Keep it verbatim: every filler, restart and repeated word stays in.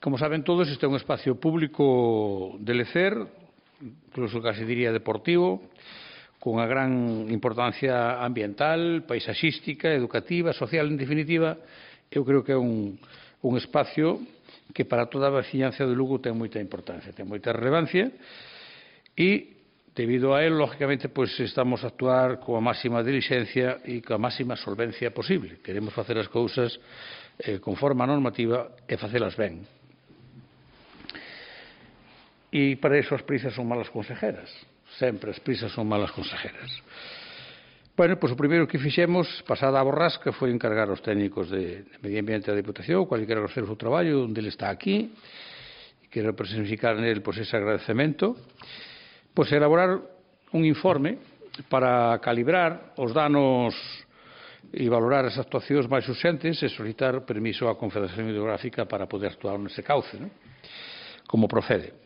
Como saben todos, este é un espacio público de lecer, incluso casi diría deportivo, con unha gran importancia ambiental, paisaxística, educativa, social, en definitiva. Eu creo que é un, un espacio que para toda a veciñanza de Lugo ten moita importancia, ten moita relevancia e, debido a él, lógicamente, pois estamos a actuar coa máxima dilixencia e coa máxima solvencia posible. Queremos facer as cousas eh, conforme a normativa e facelas ben. E para iso as prisas son malas consejeras. Sempre as prisas son malas consejeras. Bueno, pois o primeiro que fixemos, pasada a borrasca, foi encargar aos técnicos de, de Medio Ambiente da Diputación, cual quero agradecer o seu traballo, onde ele está aquí, e quero personificar nele pois, ese agradecemento, pois elaborar un informe para calibrar os danos e valorar as actuacións máis urxentes e solicitar permiso á Confederación Hidrográfica para poder actuar nese cauce, non? Como procede.